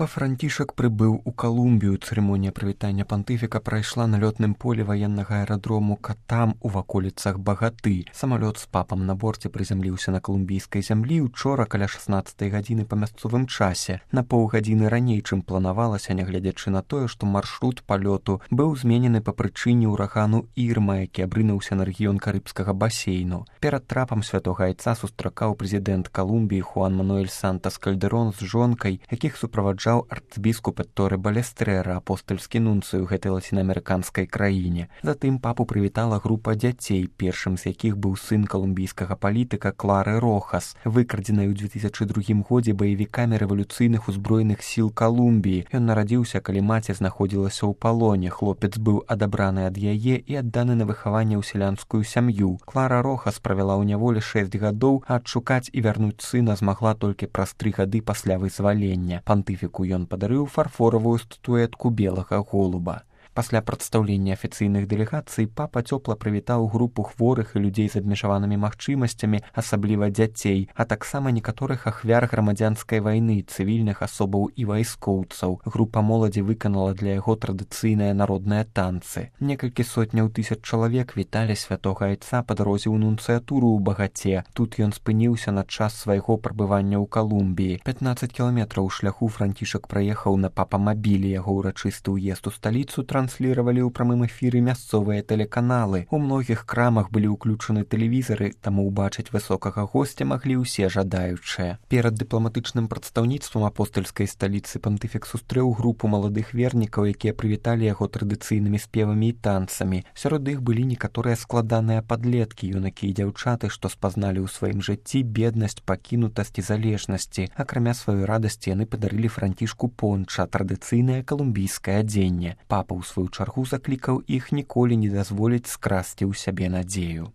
Папа Францішак прыбыў у Калумбію. Цырымонія прывітання пантыфіка прайшла на лётным полі ваеннага аэрадрому Катам у ваколіцах Багаты. Самалёт з папам на борце прызямліўся на калумбійскай зямлі учора каля 16 гадзіны па мясцовым часе. На паўгадзіны раней, чым планавалася, нягледзячы на тое, што маршрут палёту быў зменены па прычыне ўрагану Ірма, які абрынуўся на рэгіён карыбскага басейну. Перад трапам святога айца сустракаў прэзідэнт Калумбіі Хуан Мануэль Сантас Кальдэрон з жонкай, якіх супроваджаў арцбіскуп Торэ Балестрера, апостальскі нунцый у гэтай лацінаамерыканскай краіне. Затым папу прывітала група дзяцей, першым з якіх быў сын калумбійскага палітыка Клары Рохас, выкрадзенай у 2002 годзе баевікамі рэвалюцыйных узброеных сіл Калумбіі. Ён нарадзіўся, калі маці знаходзілася ў палоне. Хлопец быў адабраны ад яе і адданы на выхаванне ў сялянскую сям'ю. Клара Рохас правяла ў няволі 6 гадоў, а адшукаць і вярнуць сына змагла толькі праз 3 гады пасля вызвалення. Пантыфіку ён падарыў фарфоравую статуэтку белага голуба. Пасля прадстаўлення афіцыйных дэлегацый папа цёпла прывітаў групу хворых і людзей з абмежаванымі магчымасцямі, асабліва дзяцей, а таксама некаторых ахвяр грамадзянскай вайны, цывільных асобаў і вайскоўцаў. Група моладзі выканала для яго традыцыйныя народныя танцы. Некалькі сотняў тысяч чалавек віталі святога айца па дарозе ў нунцыятуру ў Багаце. Тут ён спыніўся на час свайго прабывання ў Калумбіі. 15 кіламетраў шляху Францішак праехаў на папамабілі. Яго ўрачысты ўезд у сталіцу трансліравалі ў прамым эфіры мясцовыя тэлеканалы. У многіх крамах былі ўключаны тэлевізары, таму ўбачыць высокага госця маглі ўсе жадаючыя. Перад дыпламатычным прадстаўніцтвам апостальскай сталіцы пантыфік сустрэў групу маладых вернікаў, якія прывіталі яго традыцыйнымі спевамі і танцамі. Сярод іх былі некаторыя складаныя падлеткі, юнакі і дзяўчаты, што спазналі ў сваім жыцці беднасць, пакінутасць і залежнасці. Акрамя сваёй радасці яны падарылі Францішку понча, традыцыйнае калумбійскае адзенне. Папа ў сваю чаргу заклікаў іх ніколі не дазволіць скрасці ў сябе надзею.